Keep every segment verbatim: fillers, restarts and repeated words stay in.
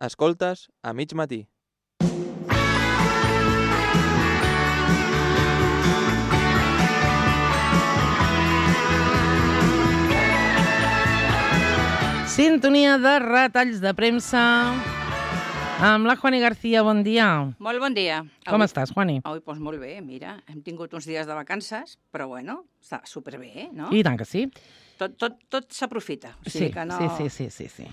Escoltes a mig matí. Sintonia de retalls de premsa amb la Juani García. Bon dia. Molt bon dia. Com avui, estàs, Juani? Avui, doncs molt bé, mira, hem tingut uns dies de vacances, però bueno, està superbé, no? I tant que sí. Tot, tot, tot s'aprofita. O Sí, sigui que no... sí, sí, sí, sí.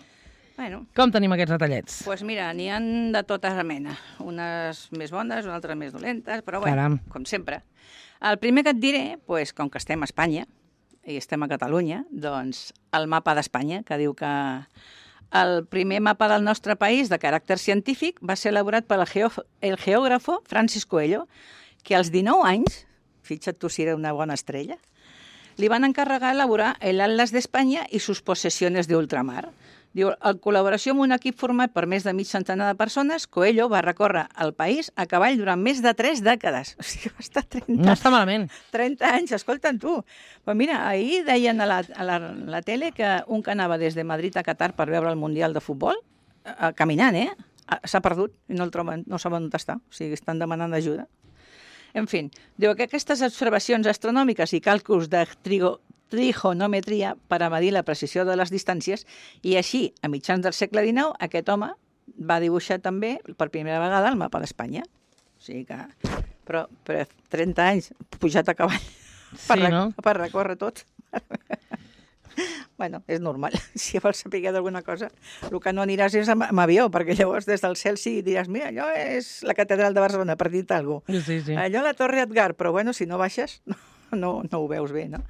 Bueno, Com tenim aquests retallets? doncs pues mira, n'hi ha de tota mena. Unes més bones, unes altres més dolentes, però bueno, Caram. com sempre. El primer que et diré, pues, com que estem a Espanya, i estem a Catalunya, doncs el mapa d'Espanya, que diu que el primer mapa del nostre país de caràcter científic va ser elaborat pel geo el geògrafo Francis Coelho, que als dinou anys, fixa't tu si era una bona estrella, li van encarregar elaborar el Atlas d'Espanya i sus possessiones de ultramar. Diu, en col·laboració amb un equip format per més de mig centenar de persones, Coelho va recórrer el país a cavall durant més de tres dècades. O sigui, va estar trenta, No està malament. trenta anys, escolta'm tu. Però mira, ahir deien a la, a la, la tele que un que anava des de Madrid a Qatar per veure el Mundial de Futbol, eh, caminant, eh? S'ha perdut i no el troben, no saben on està. O sigui, estan demanant ajuda. En fi, diu que aquestes observacions astronòmiques i càlculs de trigo, trigonometria per a medir la precisió de les distàncies, i així, a mitjans del segle dinou, aquest home va dibuixar també per primera vegada el mapa d'Espanya. O sigui que... Però, però trenta anys pujat a cavall per, Sí, no? per recórrer tot. Bueno, és normal. Si vols saber d'alguna cosa, el que no aniràs és amb, amb avió, perquè llavors des del cel sí diràs, mira, allò és la catedral de Barcelona, per dir-te alguna cosa. Sí, sí. Allò la Torre Edgar, però bueno, si no baixes, no, no, no ho veus bé, no?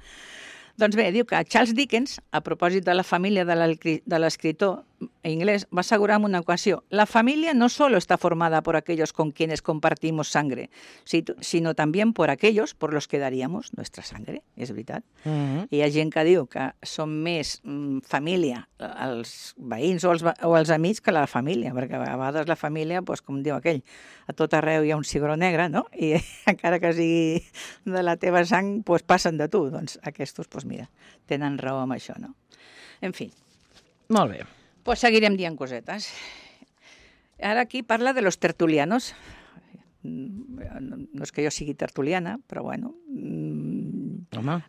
Doncs bé, diu que Charles Dickens, a propòsit de la família de l'escriptor inglés, va assegurar en una ocasió: la familia no solo está formada por aquellos con quienes compartimos sangre, sino también por aquellos por los que daríamos nuestra sangre. És veritat. Mm -hmm. Hi ha gent que diu que són més mm, família els veïns o els, o els amics que la família, perquè a vegades la família, doncs, com diu aquell, a tot arreu hi ha un cigró negre, no? I encara que sigui de la teva sang, doncs passen de tu. Doncs aquests, doncs mira, tenen raó amb això, no? En fi. Molt bé. Pues seguirem dient cosetes. Ara aquí parla de los tertulianos. No és que jo sigui tertuliana, però bueno. Home.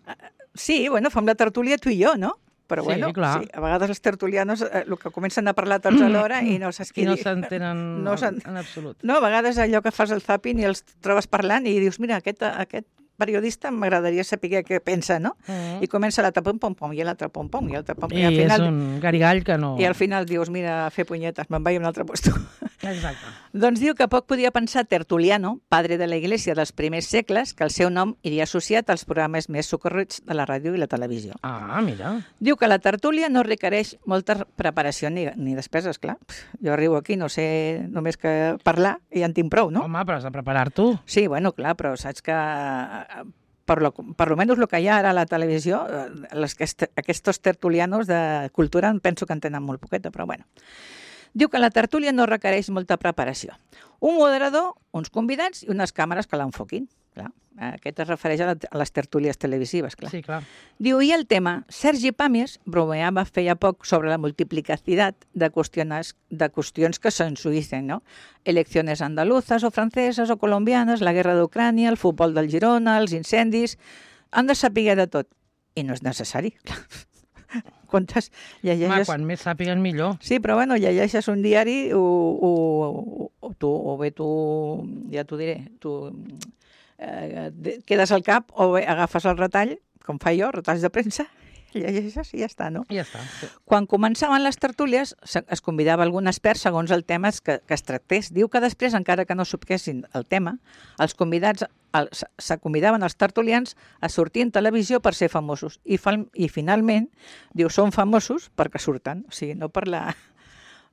Sí, bueno, fem la tertúlia tu i jo, no? Però Sí, bueno, clar. sí, a vegades els tertulianos eh, el que comencen a parlar tots alhora i no saps qui... I no s'entenen no en, en absolut. No, a vegades allò que fas el zapping i els trobes parlant i dius, mira, aquest, aquest periodista m'agradaria saber què pensa, no? Mm. I comença l'altre pom-pom-pom i l'altre pom-pom i l'altre pom-pom. I, I és un garigall que no... I al final dius, mira, a fer punyetes, me'n vaig a un altre puesto. Exacte. Doncs diu que poc podia pensar Tertuliano, padre de la Iglesia dels primers segles, que el seu nom iria associat als programes més socorrits de la ràdio i la televisió. Ah, mira. Diu que la tertúlia no requereix molta preparació ni, ni despeses, clar. Jo arribo aquí, no sé només que parlar i ja en tinc prou, no? Home, però has de preparar tu. Sí, bueno, clar, però saps que per lo, per lo menos el que hi ha ara a la televisió, les, aquests tertulianos de cultura penso que en tenen molt poqueta, però bueno. Diu que la tertúlia no requereix molta preparació. Un moderador, uns convidats i unes càmeres que l'enfoquin. Clar. Aquest es refereix a, la, a les tertúlies televisives, clar. Sí, clar. Diu, i el tema, Sergi Pàmies bromeava feia poc sobre la multiplicacitat de qüestions, de qüestions que s'ensuïssen, no? Eleccions andaluzes o franceses o colombianes, la guerra d'Ucrània, el futbol del Girona, els incendis... Han de saber de tot. I no és necessari, clar. Quantes llegeixes... Home, quan més sàpiguen millor. Sí, però bueno, llegeixes un diari o, o, o, tu, o bé tu, ja t'ho diré, tu eh, quedes al cap o bé agafes el retall, com fa jo, retalls de premsa, llegeixes i ja està, no? I ja està. Sí. Quan començaven les tertúlies, es convidava algun expert segons el tema que, que es tractés. Diu que després, encara que no sabessin el tema, els convidats els, se convidaven els tertulians a sortir en televisió per ser famosos. I, fal, i finalment, diu, són famosos perquè surten, o sigui, no per, la,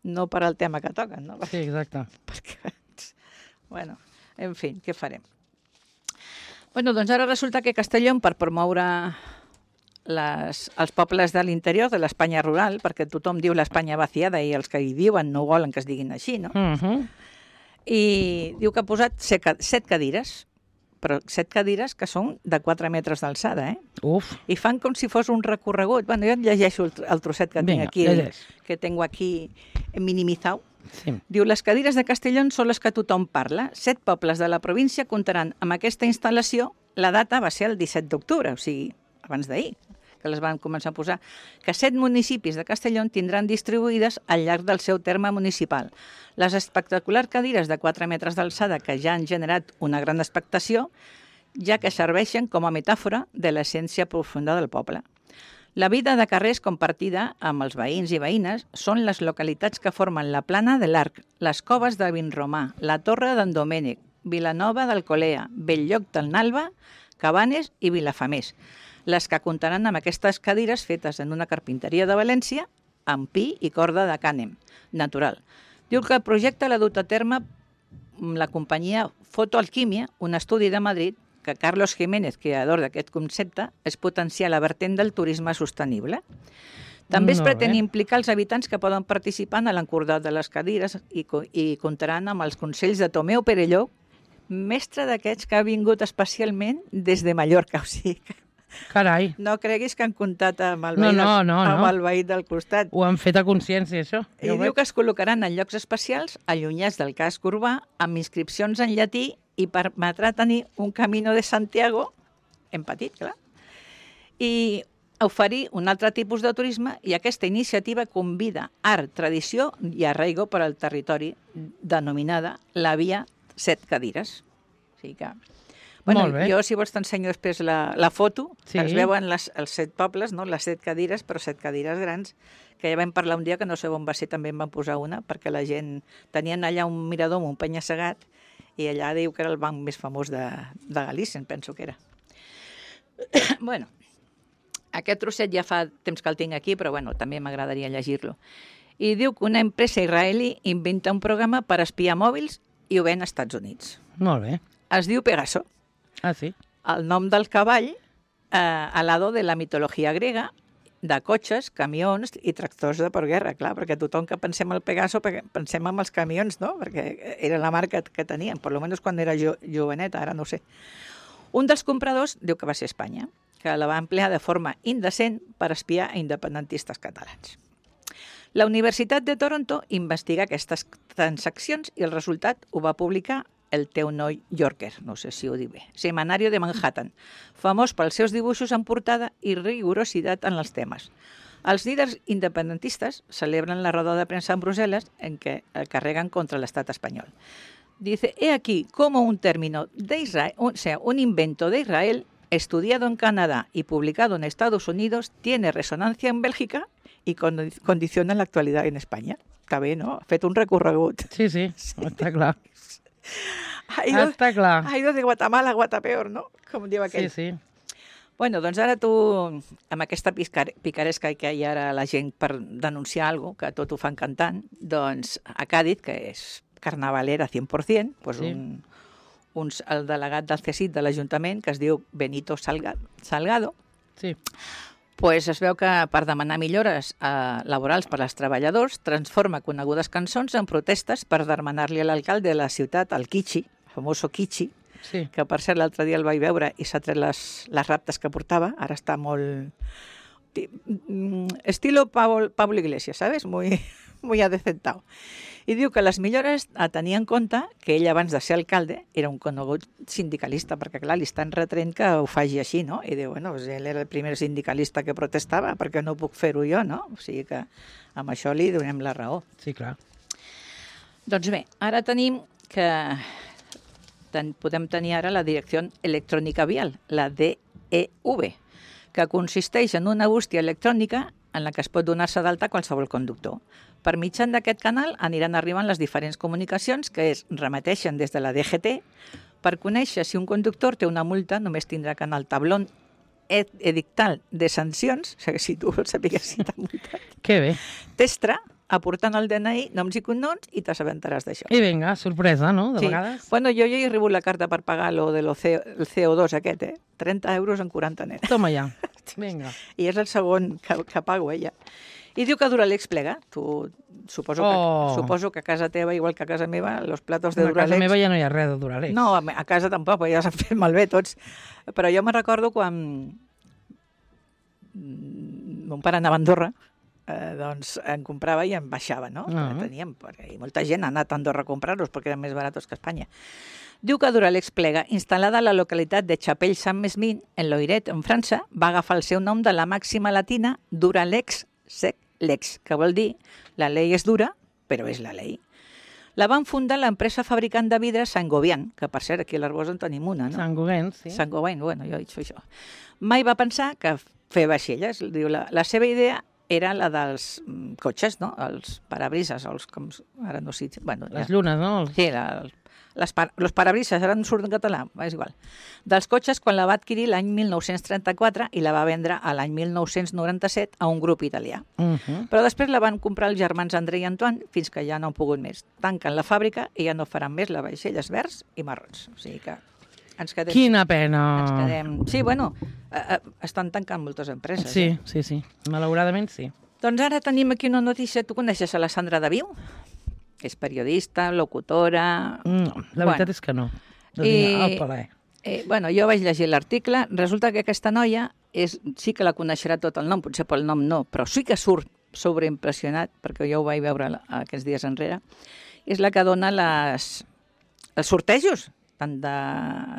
no per el tema que toquen, no? Sí, exacte. Perquè, bueno, en fi, què farem? Bueno, doncs ara resulta que Castelló, per promoure les, els pobles de l'interior, de l'Espanya rural, perquè tothom diu l'Espanya vaciada i els que hi viuen no volen que es diguin així, no? Uh -huh. I diu que ha posat set, set cadires, però set cadires que són de quatre metres d'alçada, eh? Uf. I fan com si fos un recorregut. Bueno, jo et llegeixo el, el trosset que Vinga, tinc aquí, llegeix. que tengo aquí minimizado. Sí. Diu, les cadires de Castellón són les que tothom parla. Set pobles de la província comptaran amb aquesta instal·lació. La data va ser el disset d'octubre, o sigui, abans d'ahir, que les van començar a posar, que set municipis de Castellón tindran distribuïdes al llarg del seu terme municipal. Les espectaculars cadires de quatre metres d'alçada que ja han generat una gran expectació, ja que serveixen com a metàfora de l'essència profunda del poble. La vida de carrers compartida amb els veïns i veïnes són les localitats que formen la Plana de l'Arc, les Coves de Vinromà, la Torre d'en Domènec, Vilanova d'Alcolea, Belllloc del Nalba, Cabanes i Vilafamés, les que comptaran amb aquestes cadires fetes en una carpinteria de València amb pi i corda de cànem, natural. Diu que el projecte l'ha dut a terme la companyia Fotoalquímia, un estudi de Madrid, que Carlos Jiménez, creador d'aquest concepte, és potenciar la vertent del turisme sostenible. També es Molt pretén bé. implicar els habitants que poden participar en l'encordat de les cadires i, co- i comptaran amb els consells de Tomeu Perelló, mestre d'aquests que ha vingut especialment des de Mallorca. O sigui, que Carai, no creguis que han comptat amb el No, veí, no, del, no, amb no. el veí del costat. ho han fet a consciència, això. I Ja ho diu veig. que es col·locaran en llocs especials, allunyats del casc urbà, amb inscripcions en llatí i permetrà tenir un Camino de Santiago, en petit, clar, i oferir un altre tipus de turisme, i aquesta iniciativa convida art, tradició i arraigo per al territori, denominada la Via Set Cadires. O sigui que... Bueno, Molt bé. jo, si vols, t'ensenyo després la, la foto, Sí. que es veuen les, els set pobles, no? Les set cadires, però set cadires grans, que ja vam parlar un dia, que no sé on va ser, també en van posar una, perquè la gent... Tenien allà un mirador amb un penya-segat, i allà diu que era el banc més famós de, de Galícia, em penso que era. Bueno, aquest trosset ja fa temps que el tinc aquí, però bueno, també m'agradaria llegir-lo. I diu que una empresa israelí inventa un programa per espiar mòbils i ho ven als Estats Units. Molt bé. Es diu Pegaso, Ah, sí? el nom del cavall eh, al lado de la mitologia grega, de cotxes, camions i tractors de per guerra, clar, perquè tothom que pensem al Pegaso pe- pensem en els camions, no? Perquè era la marca que tenien, per lo menos quan era jo, joveneta, ara no ho sé. Un dels compradors diu que va ser Espanya, que la va emplear de forma indecent per espiar a independentistes catalans. La Universitat de Toronto investiga aquestes transaccions i el resultat ho va publicar el Teu New Yorker, no sé si ho dic bé, setmanario de Manhattan, famós pels seus dibuixos en portada i rigorositat en els temes. Els líders independentistes celebren la roda de premsa en Brussel·les en què el carreguen contra l'estat espanyol. Dice, he aquí cómo un término de Israel, o sea, un invento de Israel, estudiado en Canadá y publicado en Estados Unidos, tiene resonancia en Bélgica y condi- condiciona la actualidad en España. Està bé, no? Ha fet un recorregut. Sí, sí, està clar. Ha ido, Està clar. ha ido de Guatemala a Guatapeor, no? Com diu Sí, aquell. sí. Bueno, doncs ara tu, amb aquesta piscar- picaresca que hi ha ara la gent per denunciar alguna cosa, que tot ho fan cantant, doncs a Càdiz, que és carnavalera cent per cent, doncs Sí. un, un, el delegat del C E C I T de l'Ajuntament, que es diu Benito Salga, Salgado, Sí. pues es veu que per demanar millores eh, laborals per als treballadors transforma conegudes cançons en protestes per demanar-li a l'alcalde de la ciutat, el Kichi, el famoso Kichi, Sí. que per cert l'altre dia el vaig veure i s'ha tret les, les raptes que portava, ara està molt... ti- mm, estilo Pablo, Pablo Iglesias, ¿sabes? Muy, muy adecentado. I diu que les millores a tenir en compte que ell abans de ser alcalde era un conegut sindicalista, perquè clar, li estan retrent que ho faci així, no? I diu, bueno, pues ell era el primer sindicalista que protestava, perquè no puc fer-ho jo, no? O sigui que amb això li donem la raó. Sí, clar. Doncs bé, ara tenim que ten, podem tenir ara la Direcció Electrònica Vial, la D E V, que consisteix en una bústia electrònica en la que es pot donar-se d'alta qualsevol conductor. Per mitjan d'aquest canal aniran arribant les diferents comunicacions que es remeteixen des de la D G T. Per conèixer si un conductor té una multa, només tindrà que anar al tablón ed- edictal de sancions, o sigui, si tu vols saber si t'ha multat, Que bé. t'estra, aportant el D N I, noms i cognoms, i t'assabentaràs d'això. I vinga, sorpresa, no? De Sí. vegades. Bueno, jo ja he rebut la carta per pagar lo de lo C- el C O dos aquest, eh? trenta euros en quaranta net. Toma ja. Vinga. I és el segon que, que pago, ella. I diu que Duralex plega. Tu, suposo, Oh. que, suposo que a casa teva, igual que a casa meva, los platos de A casa Duralex... meva ja no hi ha res de Duralex. No, a a casa tampoc, perquè ja s'han fet malbé tots. Però jo me recordo quan mm, mon pare anava a Andorra, eh, doncs en comprava i en baixava, no? Ah. Teníem, perquè molta gent ha anat a Andorra a comprar-los perquè eren més baratos que a Espanya. Diu que Duralex Plega, instal·lada a la localitat de Chapelle-Saint-Mesmin, en Loiret, en França, va agafar el seu nom de la màxima latina Duralex sec lex, que vol dir la llei és dura, però és la llei. La van fundar l'empresa fabricant de vidre Saint-Gobain, que per cert aquí a l'Arboç en tenim una, no? Saint-Gobain, sí. Saint-Gobain, bueno, jo he dit això. Mai va pensar que fer vaixelles. Diu, la, la seva idea era la dels mm, cotxes, no? Els parabrises, els, com, ara no sé... Bueno, Les ja. llunes, no? Els... Sí, la, les par los parabrises, ara no surt en català, és igual. Dels cotxes, quan la va adquirir l'any mil nou-cents trenta-quatre i la va vendre a l'any mil nou-cents noranta-set a un grup italià. Uh -huh. Però després la van comprar els germans André i Antoine fins que ja no han pogut més. Tanquen la fàbrica i ja no faran més les vaixelles verds i marrons. O sigui que ens quedem... Quina pena! Ens quedem... Sí, bueno, eh, eh, estan tancant moltes empreses. Sí, Eh? sí, sí. Malauradament sí. Doncs ara tenim aquí una notícia. Tu coneixes a la Sandra Daviu? És periodista, locutora... No, la veritat Bueno. és que no. No I- tinc el paler. Eh, bueno, jo vaig llegir l'article. Resulta que aquesta noia és, sí que la coneixerà tot el nom, potser pel nom no, però sí que surt sobreimpressionat, perquè jo ho vaig veure la- aquests dies enrere. És la que dona les, els sortejos, tant de,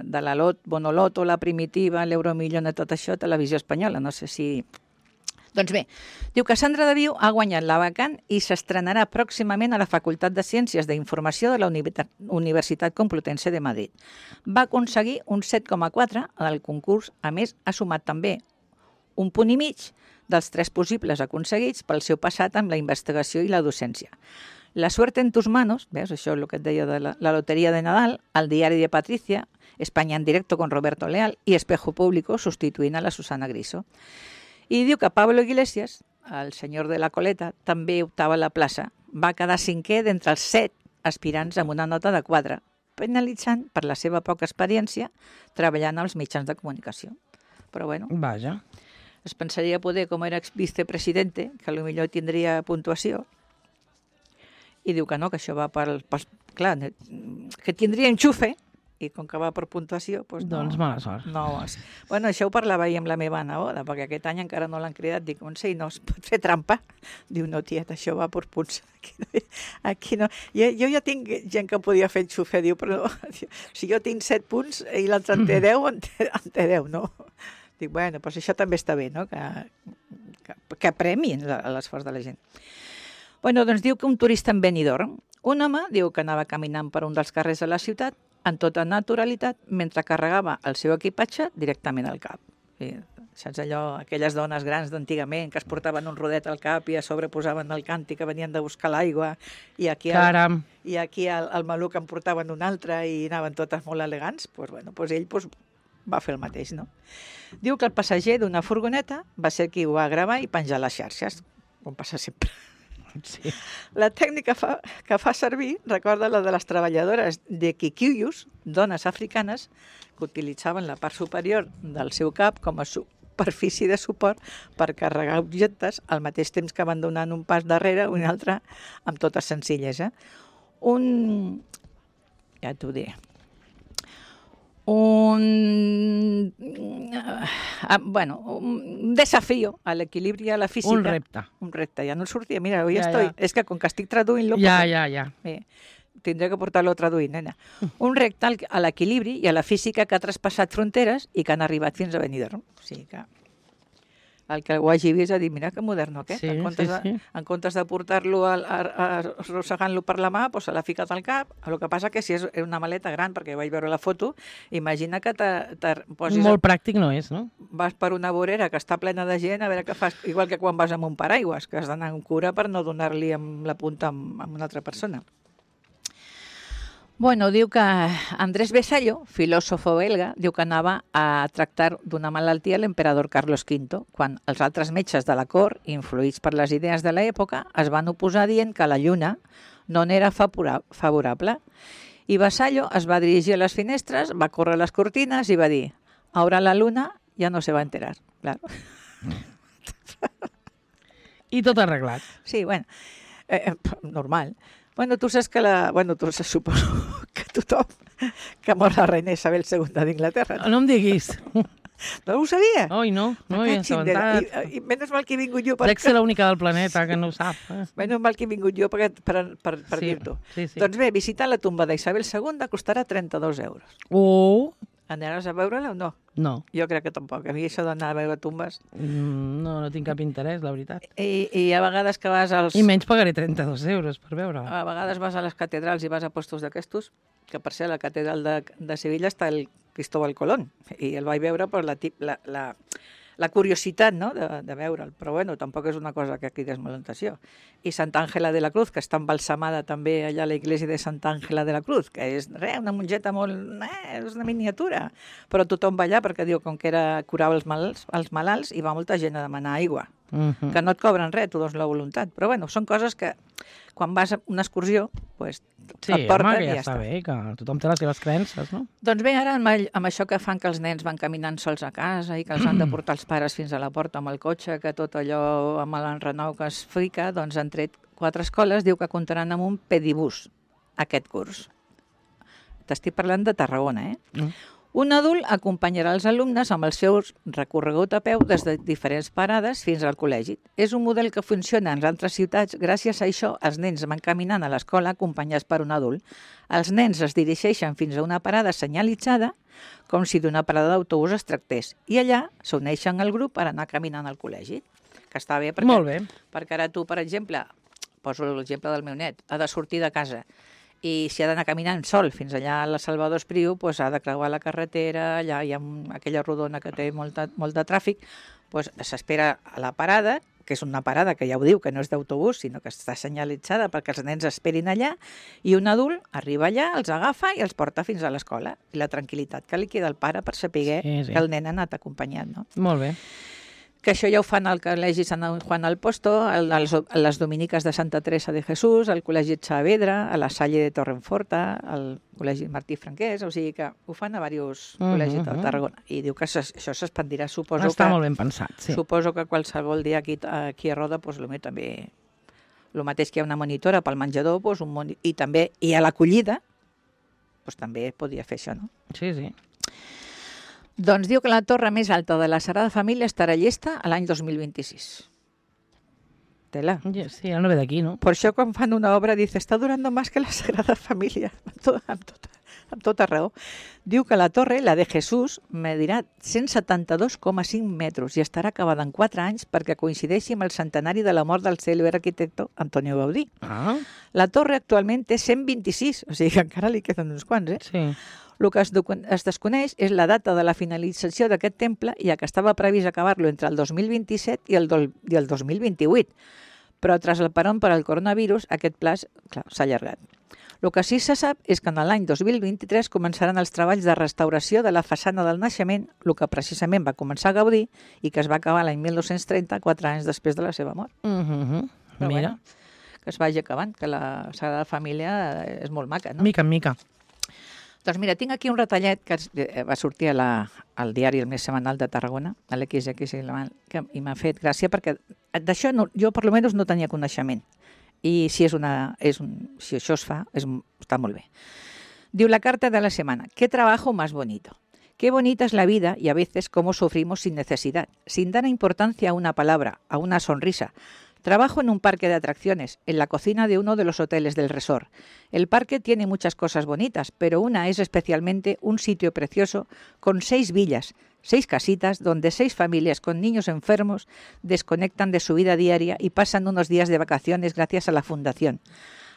de la Lot, Bonoloto, la Primitiva, l'Euromillón i tot això a Televisió Espanyola. No sé si... Doncs bé, diu que Sandra Daviu ha guanyat la vacant i s'estrenarà pròximament a la Facultat de Ciències d'Informació de la Univer- Universitat Complutense de Madrid. Va aconseguir un set coma quatre al concurs. A més, ha sumat també un punt i mig dels tres possibles aconseguits pel seu passat amb la investigació i la docència. La suerte en tus manos, veus, això és el que et deia de la, la loteria de Nadal, el diari de Patricia, España en directo con Roberto Leal i Espejo Público substituint a la Susana Griso. I diu que Pablo Iglesias, el senyor de la coleta, també optava a la plaça. Va quedar cinquè d'entre els set aspirants amb una nota de quatre, penalitzant per la seva poca experiència treballant als mitjans de comunicació. Però bueno, Vaja. es pensaria poder, com era exvicepresidente, que potser tindria puntuació, i diu que no, que això va per... per clar, que tindria enxufe, i com que va per puntuació, doncs no. Doncs mala sort. No, és- bueno, això ho parlava ahir amb la meva neboda, perquè aquest any encara no l'han cridat. Dic, Montse, no es pot fer trampa? Diu, no, tieta, això va per punts. Aquí no. Aquí no. Jo, jo ja tinc gent que podia fer enxufe, diu, però si jo tinc set punts i l'altre en té deu, en té, en té deu, no? Dic, bueno, doncs això també està bé, no? Que, que, que premin la- l'esforç de la gent. Bueno, doncs diu que un turista en Benidorm, un home, diu que anava caminant per un dels carrers de la ciutat, en tota naturalitat, mentre carregava el seu equipatge directament al cap. Sí, saps allò, aquelles dones grans d'antigament que es portaven un rodet al cap i a sobre posaven el càntic que venien de buscar l'aigua i aquí, el, Caram. i aquí el, el maluc en portaven un altre i anaven totes molt elegants, doncs, bueno, doncs ell doncs, va fer el mateix, no? Diu que el passager d'una furgoneta va ser qui ho va gravar i penjar a les xarxes, com passa sempre. Sí. La tècnica fa, que fa servir recorda la de les treballadores de Kikuyus, dones africanes, que utilitzaven la part superior del seu cap com a superfície de suport per carregar objectes al mateix temps que van donant un pas darrere un altre amb tota senzillesa. Un... ja t'ho diré. Un... ah, bueno, un desafío a l'equilibri i a la física. Un repte. Un repte, ja no el sortia. Mira, ja, Ja, estoy. ja. És que com que estic traduint-lo... Ja, pues, ja, ja. Bé, tindré que portar-lo traduint, nena. Un repte al- a l'equilibri i a la física que ha traspassat fronteres i que han arribat fins a Benidorm. O sigui que el que ho hagi vist ha dit, mira que moderno aquest. Sí, en, comptes sí, sí. De, en comptes de portar-lo a- a- a- arrossegant-lo per la mà, doncs se l'ha ficat al cap. El que passa que si és una maleta gran, perquè vaig veure la foto, imagina que te, te posis... Molt pràctic no és, no? Vas per una vorera que està plena de gent, a veure què fas, igual que quan vas amb un paraigües, que has d'anar amb cura per no donar-li amb la punta amb, amb una altra persona. Bueno, diu que Andrés Besallo, filòsofo belga, diu que anava a tractar d'una malaltia l'emperador Carlos quinto, quan els altres metges de la cort, influïts per les idees de l'època, es van oposar dient que la lluna no n'era favora- favorable. I Besallo es va dirigir a les finestres, va córrer les cortines i va dir «Ahora la luna ya no se va a enterar». Claro. I tot arreglat. Sí, bueno, eh, eh, normal. Bueno, tu saps que la... Bueno, tu saps, suposo que tothom que mor la reina Isabel segunda d'Inglaterra. No em diguis. No ho sabia? Oi, no, no hi he Cachín de la- assabentat. I, I menys mal que he vingut jo per... Dec ser l'única del planeta que no ho sap. Eh? Menys mal que he vingut jo per, per, per, per Sí, dir-t'ho. sí, sí. Doncs bé, visitar la tomba d'Isabel segona costarà trenta-dos euros. Oh, Aniràs a veure-la o no? no. Jo crec que tampoc. A mi això d'anar a veure tombes... Mm, No, no tinc cap interès, la veritat. I, i a vegades que vas als... I menys pagaré trenta-dos euros per veure. A vegades vas a les catedrals i vas a postos d'aquestos, que per ser la catedral de, de Sevilla està el Cristóbal Colón, i el vaig veure per la, tip, la, la, la curiositat, no?, de, de veure'l, però bueno, tampoc és una cosa que cridés molt l'atenció. I Santa Àngela de la Cruz, que està embalsamada també allà a l'església de Santa Àngela de la Cruz, que és re, una mongeta molt... Eh, és una miniatura, però tothom va allà perquè diu com que era curava els malalts, els malalts i va molta gent a demanar aigua. Mhm. Que no et cobren res, tu dones la voluntat. Però bueno, són coses que quan vas a una excursió pues, Sí, et porten home, que i ja ja està està. bé, que tothom té les seves creences, no? Doncs bé, ara amb, all- amb això que fan que els nens van caminant sols a casa i que els han de portar els pares fins a la porta amb el cotxe, que tot allò amb l'enrenou que es fica, doncs han tret quatre escoles, diu que comptaran amb un pedibús aquest curs. T'estic parlant de Tarragona, eh? Mm. Un adult acompanyarà els alumnes amb el seu recorregut a peu des de diferents parades fins al col·legi. És un model que funciona en altres ciutats. Gràcies a això, els nens van caminant a l'escola acompanyats per un adult. Els nens es dirigeixen fins a una parada senyalitzada, com si d'una parada d'autobús es tractés, i allà s'uneixen al grup per anar caminant al col·legi. Que està bé, perquè, Molt bé. perquè ara tu, per exemple, poso l'exemple del meu net, ha de sortir de casa i si ha d'anar caminant sol fins allà a la Salvador Espriu, doncs ha de creuar la carretera, allà hi ha un, aquella rodona que té molt de, molt de tràfic, doncs s'espera a la parada, que és una parada que ja ho diu, que no és d'autobús, sinó que està senyalitzada perquè els nens esperin allà, i un adult arriba allà, els agafa i els porta fins a l'escola. I la tranquil·litat que li queda al pare per saber Sí, sí. que el nen ha anat acompanyat, no? Molt bé. Que això ja ho fan al Col·legi Sant Juan al Posto, a les, a les Dominiques de Santa Teresa de Jesús, al Col·legi Saavedra, a la Salle de Torrenforta, al Col·legi Martí Franquès, o sigui que ho fan a diversos Mhm. col·legis de Tarragona. I diu que s'es- això s'expandirà, suposo Està que, molt ben pensat, sí. suposo que qualsevol dia aquí, aquí a Roda, doncs, potser també, el mateix que hi ha una monitora pel menjador, doncs, un moni... i també i a l'acollida, doncs, també podria fer això, no? Sí, sí. Doncs diu que la torre més alta de la Sagrada Família estarà llesta a l'any dos mil vint-i-sis. Tela. Ja, sí, ara no ve d'aquí, no? Per això quan fan una obra dice, està durando más que la Sagrada Família, amb, tot, amb, tot, amb tota raó. Diu que la torre, la de Jesús, medirà cent setanta-dos coma cinc metres i estarà acabada en quatre anys perquè coincideixi amb el centenari de la mort del cèlebre arquitecte Antonio Gaudí. Ah, La torre actualment té cent vint-i-sis, o sigui que encara li queden uns quants, eh? sí. El que es, es desconeix és la data de la finalització d'aquest temple, ja que estava previst acabar-lo entre el dos mil vint-i-set i el, do, i el dos mil vint-i-vuit. Però tras el parón per al coronavirus, aquest pla s'ha allargat. El que sí se sap és que en l'any dos mil vint-i-tres començaran els treballs de restauració de la façana del naixement, el que precisament va començar a Gaudí i que es va acabar l'any mil nou-cents trenta, quatre anys després de la seva mort. Uh -huh. Però Mira, bueno, que es vagi acabant, que la Sagrada Família és molt maca, no? mica en mica. Doncs mira, tinc aquí un retallet que es- eh, va sortir a la, al diari El Més Setmanal de Tarragona, a l'X X que i m'ha fet gràcia perquè d'això no, jo per almenys no tenia coneixement. I si, és una, és un, si això es fa, és, està molt bé. Diu la carta de la semana, ¿qué trabajo más bonito? Qué bonita es la vida y a veces cómo sufrimos sin necesidad, sin dar importancia a una palabra, a una sonrisa. Trabajo en un parque de atracciones, en la cocina de uno de los hoteles del resort. El parque tiene muchas cosas bonitas, pero una es especialmente un sitio precioso con seis villas, seis casitas donde seis familias con niños enfermos desconectan de su vida diaria y pasan unos días de vacaciones gracias a la fundación.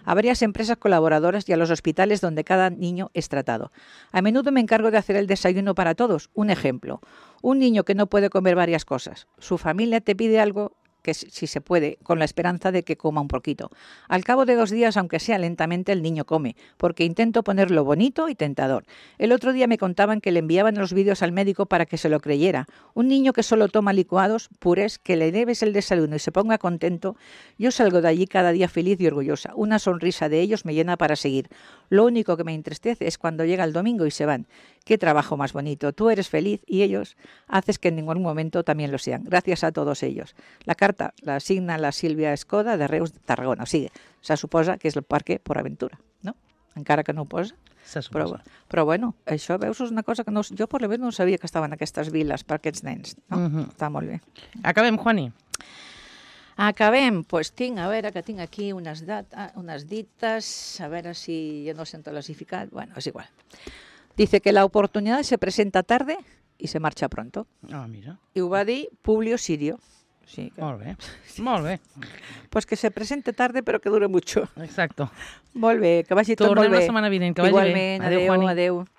A varias empresas colaboradoras y a los hospitales donde cada niño es tratado. A menudo me encargo de hacer el desayuno para todos. Un ejemplo, un niño que no puede comer varias cosas. Su familia te pide algo que si se puede, con la esperanza de que coma un poquito. Al cabo de dos días, aunque sea lentamente, el niño come, porque intento ponerlo bonito y tentador. El otro día me contaban que le enviaban los vídeos al médico para que se lo creyera. Un niño que solo toma licuados, purés, que le debes el desayuno y se ponga contento, yo salgo de allí cada día feliz y orgullosa. Una sonrisa de ellos me llena para seguir. Lo único que me entristece es cuando llega el domingo y se van. Qué trabajo más bonito. Tú eres feliz y ellos haces que en ningún momento también lo sean. Gracias a todos ellos. La carta la signa la Sílvia Escoda de Reus de Tarragona. O sigui, se suposa que és el Parque Port Aventura, no? encara que no ho posa. Se Però, suposa. però bueno, això, veus, és una cosa que no, jo per la vegada no sabia que estaven aquestes viles per aquests nens. No? Mhm. Està molt bé. Acabem, Juani. Acabem, pues tinc, a veure, que tinc aquí unes, data, unes dites, a veure si yo no sé clasificat, bueno, es igual. Dice que la oportunidad se presenta tarde y se marcha pronto. Ah, mira. I ho va dir Publio Sirio. Sí, que, Molt bé. Molt bé. pues que se presente tarde pero que dure mucho. Exacto. Molt bé, que vagi tot Tornem molt bé. la setmana vinent, que vagi bé. Igualment, Adéu, adéu, Juani. adéu.